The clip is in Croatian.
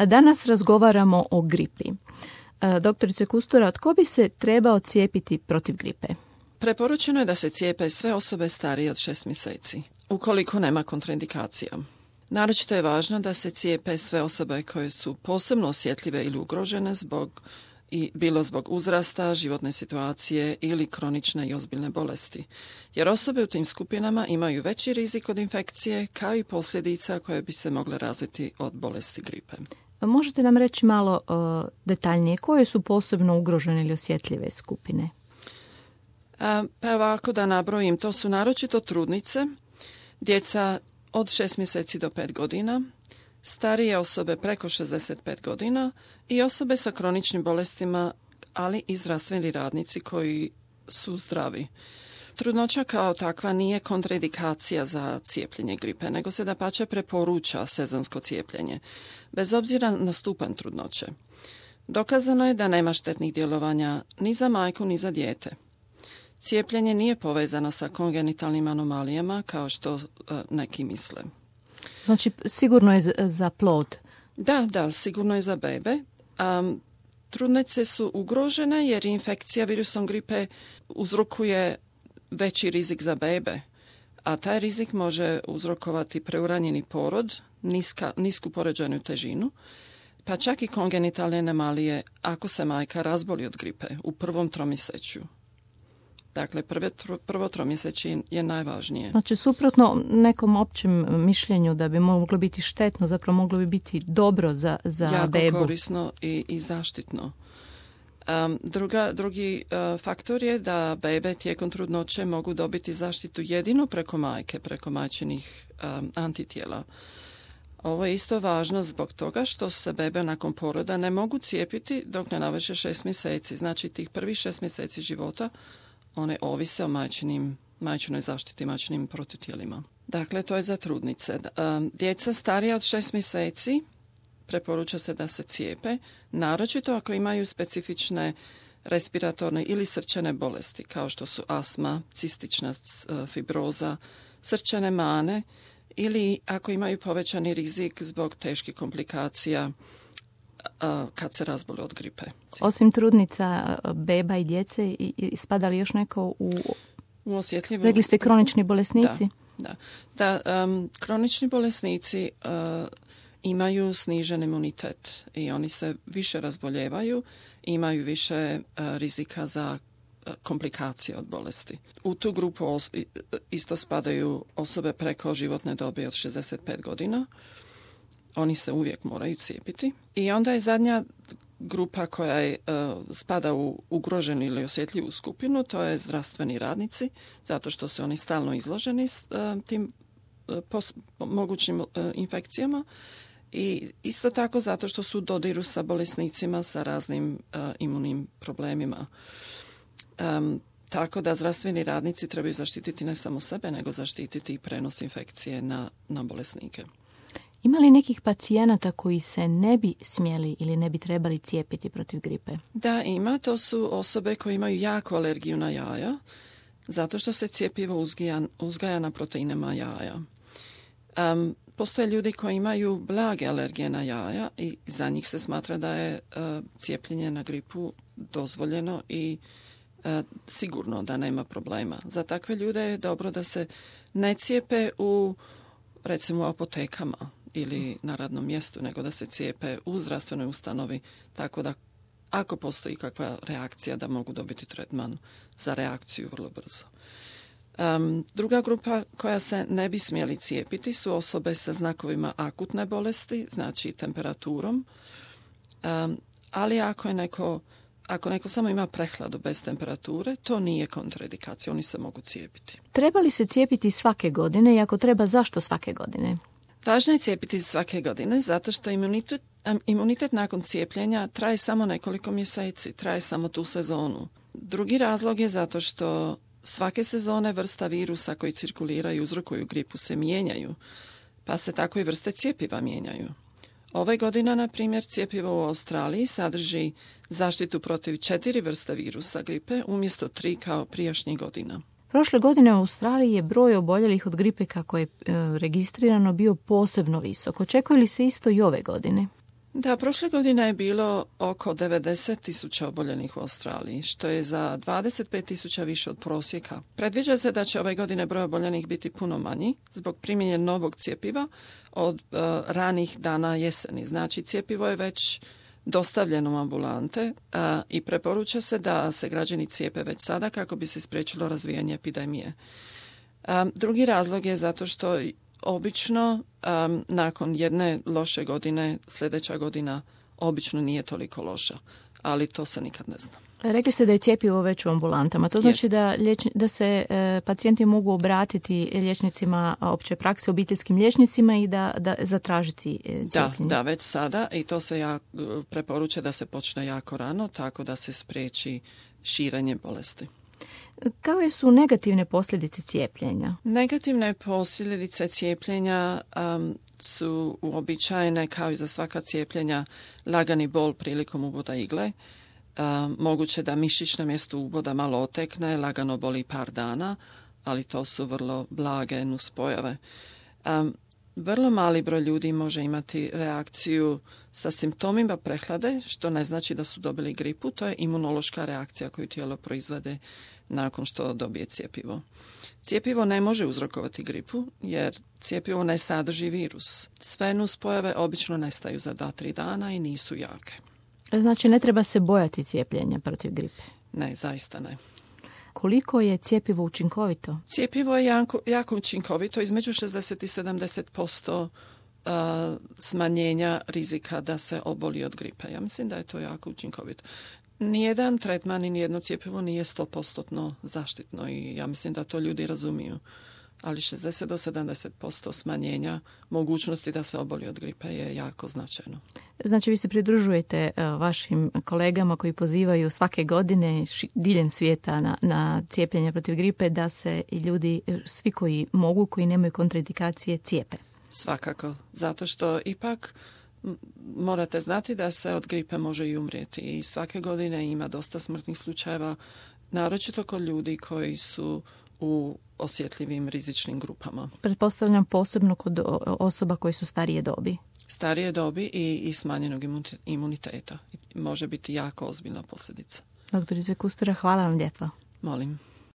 Danas razgovaramo o gripi. Doktorice Kustura, tko bi se trebao cijepiti protiv gripe? Preporučeno je da se cijepe sve osobe starije od 6 mjeseci, ukoliko nema kontraindikacija. Naročito je važno da se cijepe sve osobe koje su posebno osjetljive ili ugrožene bilo zbog uzrasta, životne situacije ili kronične i ozbiljne bolesti. Jer osobe u tim skupinama imaju veći rizik od infekcije kao i posljedica koje bi se mogle razviti od bolesti gripe. Možete nam reći malo detaljnije koje su posebno ugrožene ili osjetljive skupine? Pa ovako da nabrojim, to su naročito trudnice, djeca od 6 mjeseci do 5 godina, starije osobe preko 65 godina i osobe sa kroničnim bolestima, ali i zdravstveni radnici koji su zdravi. Trudnoća kao takva nije kontraindikacija za cijepljenje gripe, nego se dapače preporuča sezonsko cijepljenje, bez obzira na stupanj trudnoće. Dokazano je da nema štetnih djelovanja ni za majku ni za dijete. Cijepljenje nije povezano sa kongenitalnim anomalijama kao što neki misle. Znači, sigurno je za plod? Da, sigurno je za bebe. Trudnice su ugrožene jer infekcija virusom gripe uzrokuje veći rizik za bebe, a taj rizik može uzrokovati preuranjeni porod, nisku porođajnu težinu, pa čak i kongenitalne anomalije ako se majka razboli od gripe u prvom tromjesečju. Dakle, prvo tromjeseće je najvažnije. Znači, suprotno nekom općem mišljenju da bi moglo biti štetno, zapravo moglo bi biti dobro za bebu. Jako korisno i zaštitno. Drugi faktor je da bebe tijekom trudnoće mogu dobiti zaštitu jedino preko majke, preko majčinih antitijela. Ovo je isto važno zbog toga što se bebe nakon poroda ne mogu cijepiti dok ne navrše 6 mjeseci. Znači, tih prvih 6 mjeseci života one ovise o majčinoj zaštiti, majčinim protutijelima. Dakle, to je za trudnice. Djeca starija od 6 mjeseci preporuča se da se cijepe, naročito ako imaju specifične respiratorne ili srčane bolesti, kao što su astma, cistična fibroza, srčane mane ili ako imaju povećani rizik zbog teških komplikacija kad se razbole od gripe. Osim trudnica, beba i djece, spada li još neko u osjetljivu? Rekli ste kronični bolesnici? Da, kronični bolesnici imaju snižen imunitet i oni se više razboljevaju, imaju više rizika za komplikacije od bolesti. U tu grupu isto spadaju osobe preko životne dobi od 65 godina. Oni se uvijek moraju cijepiti. I onda je zadnja grupa koja spada u ugroženu ili osjetljivu skupinu, to je zdravstveni radnici, zato što su oni stalno izloženi tim mogućim infekcijama i isto tako zato što su u dodiru sa bolesnicima sa raznim imunim problemima. Tako da zdravstveni radnici trebaju zaštititi ne samo sebe, nego zaštititi i prenos infekcije na bolesnike. Ima li nekih pacijenata koji se ne bi smjeli ili ne bi trebali cijepiti protiv gripe? Da, ima. To su osobe koje imaju jaku alergiju na jaja, zato što se cjepivo uzgaja na proteinama jaja. Postoje ljudi koji imaju blage alergije na jaja i za njih se smatra da je cijepljenje na gripu dozvoljeno i sigurno da nema problema. Za takve ljude je dobro da se ne cijepe u, recimo, apotekama ili na radnom mjestu, nego da se cijepe u zdravstvenoj ustanovi, tako da ako postoji kakva reakcija da mogu dobiti tretman za reakciju vrlo brzo. Druga grupa koja se ne bi smjeli cijepiti su osobe sa znakovima akutne bolesti, znači temperaturom, ali ako neko samo ima prehladu bez temperature, to nije kontraindikacija, oni se mogu cijepiti. Treba li se cijepiti svake godine i ako treba, zašto svake godine? Važno je cijepiti svake godine zato što imunitet nakon cijepljenja traje samo nekoliko mjeseci, traje samo tu sezonu. Drugi razlog je zato što svake sezone vrsta virusa koji cirkuliraju i uzrokuju gripu se mijenjaju, pa se tako i vrste cjepiva mijenjaju. Ove godine, na primjer, cjepivo u Australiji sadrži zaštitu protiv 4 vrste virusa gripe umjesto 3 kao prijašnjih godina. Prošle godine u Australiji je broj oboljelih od gripe kako je registrirano bio posebno visok. Očekuje li se isto i ove godine? Da, prošle godine je bilo oko 90.000 oboljenih u Australiji, što je za 25.000 više od prosjeka. Predviđa se da će ove godine broj oboljenih biti puno manji zbog primjenja novog cjepiva od ranih dana jeseni. Znači, cjepivo je već dostavljeno u ambulante i preporuča se da se građani cijepe već sada kako bi se spriječilo razvijanje epidemije. Drugi razlog je zato što obično nakon jedne loše godine sljedeća godina obično nije toliko loša, ali to se nikad ne zna. Rekli ste da je cjepivo već u ambulantama. To znači da se pacijenti mogu obratiti liječnicima opće prakse, obiteljskim liječnicima i da zatražiti cijepljenje. Da, već sada i to se preporuča da se počne jako rano, tako da se spriječi širenje bolesti. Kakve su negativne posljedice cijepljenja? Negativne posljedice cijepljenja su uobičajene kao i za svaka cijepljenja lagani bol prilikom uboda igle. Moguće da mišić na mjestu uboda malo otekne, lagano boli par dana, ali to su vrlo blage nuspojave. Vrlo mali broj ljudi može imati reakciju sa simptomima prehlade, što ne znači da su dobili gripu. To je imunološka reakcija koju tijelo proizvede nakon što dobije cjepivo. Cjepivo ne može uzrokovati gripu jer cjepivo ne sadrži virus. Sve nuspojave obično nestaju za 2-3 dana i nisu jake. Znači ne treba se bojati cijepljenja protiv gripe? Ne, zaista ne. Koliko je cjepivo učinkovito? Cjepivo je jako učinkovito, između 60 i 70% smanjenja rizika da se oboli od gripe. Ja mislim da je to jako učinkovito. Nijedan tretman i nijedno cjepivo nije 100% zaštitno i ja mislim da to ljudi razumiju. Ali 60 do 70% smanjenja mogućnosti da se oboli od gripe je jako značajno. Znači vi se pridružujete vašim kolegama koji pozivaju svake godine diljem svijeta na cijepljenje protiv gripe da se i ljudi, svi koji mogu, koji nemaju kontraindikacije, cijepe. Svakako, zato što ipak morate znati da se od gripe može i umrijeti i svake godine ima dosta smrtnih slučajeva, naročito kod ljudi koji su u osjetljivim rizičnim grupama. Pretpostavljam posebno kod osoba koje su starije dobi. Starije dobi i smanjenog imuniteta. Može biti jako ozbiljna posljedica. Doktorice Kustera, hvala vam lijepo. Molim.